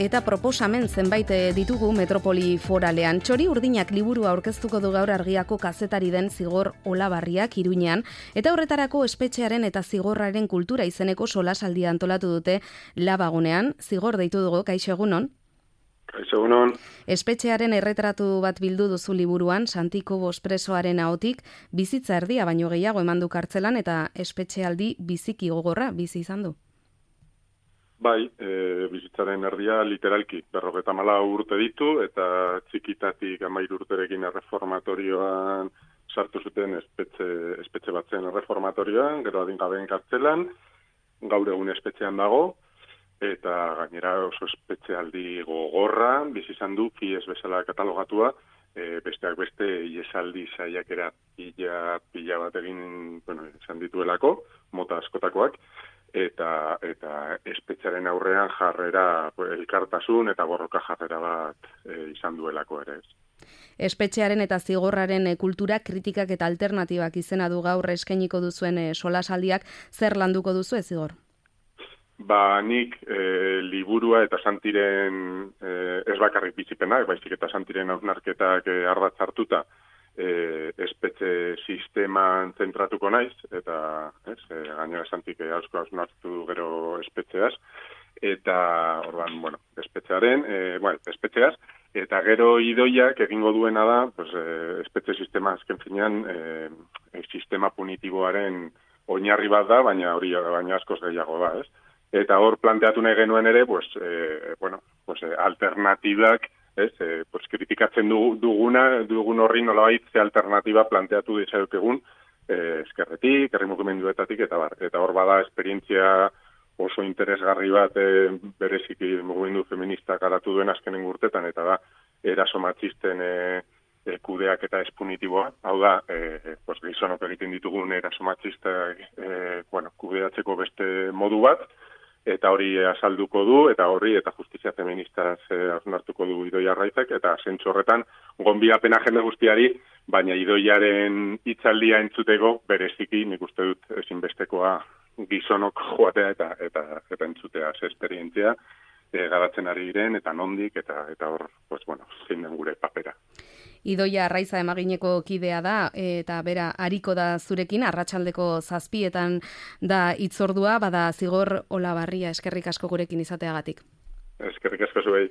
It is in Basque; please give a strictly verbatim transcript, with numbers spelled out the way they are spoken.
eta proposamen zenbait ditugu metropoli foralean. Txori Urdinak liburua aurkeztuko du gaur Argiako kazetari den Zigor Olabarriak Iruñean, eta horretarako espetxearen eta zigorraren kultura izeneko solasaldia antolatu dute Labagunean. Zigor deitu dugu, kaixo egunon? Kaixo egunon. Espetxearen erretratu bat bildu duzu liburuan, Santiko Bospresoaren ahotik, bizitza erdia baino gehiago eman du kartzelan eta espetxealdi biziki gogorra bizi izan du. Bai, e, bizitzaren erdia literalki, berrogeta mala urte ditu, eta txikitatik amairu urterekin erreformatorioan sartu zuten espetxe, espetxe batzen erreformatorioan, gero adingabeen kartzelan, gaur egun espetxean dago, eta gainera oso espetxealdi gogorra, bizi izan du, fies bezala katalogatua, e, besteak beste iesaldi saiakera pila, pila bat egin, bueno, izan dituelako, mota askotakoak, eta eta espetxearen aurrean jarrera elkartasun eta borroka jarrera bat e, izan duelako ere ez. Espetxearen eta zigorraren kultura kritikak eta alternatibak izena du gaur eskainiko duzuen e, solasaldiak, zer landuko duzu ez Zigor? Ba, nik e, liburua eta Santiren e, ez bakarrik bizipenak, baizik eta Santiren hausnarketak e, ardatz hartuta, E, espetxe sisteman zentratuko naiz, eta ez, e, gainera Santik asko hausnartu gero espetxeaz, eta ordan, bueno, espetxearen, e, bueno, espetxeaz, eta gero Idoiak egingo duena da, pues, e, espetxe sistema azken finean, e, e, sistema punitiboaren oinarri bat da, baina hori baina askoz gehiago da, ez? Eta hor planteatu nahi genuen ere, pues, e, bueno, pues, e, alternatibak, ez, e, pues, kritikatzen duguna, dugun horri nolabait ze alternatiba planteatu dizakegun e, eskerretik, herri mugimenduetatik, eta bar. Eta hor bada esperientzia oso interesgarri bat e, bereziki mugimendu feministak garatu duen azkenen urtetan, eta da, eraso matxisten e, e, kudeak eta espunitiboa. Hau da, e, pues, gizonok egiten ditugun eraso matxistak e, bueno, kudeatzeko beste modu bat, eta hori azalduko du, eta horri, eta justizia feministaz hausnartuko du Idoia Arraizak, eta zentzu horretan, gonbidapena jende guztiari, baina Idoiaren hitzaldia entzuteko, bereziki, nik uste dut ezinbestekoa gizonok joatea eta eta, eta entzutea ze esperientzia, e, garatzen ari diren, eta nondik, eta eta hor, pues, bueno, zein den gure papera. Idoia Arraiza emagineko kidea da, eta bera ariko da zurekin, arratsaldeko zazpietan da hitzordua, bada Zigor Olabarria, eskerrik asko gurekin izateagatik. Eskerrik asko zuei.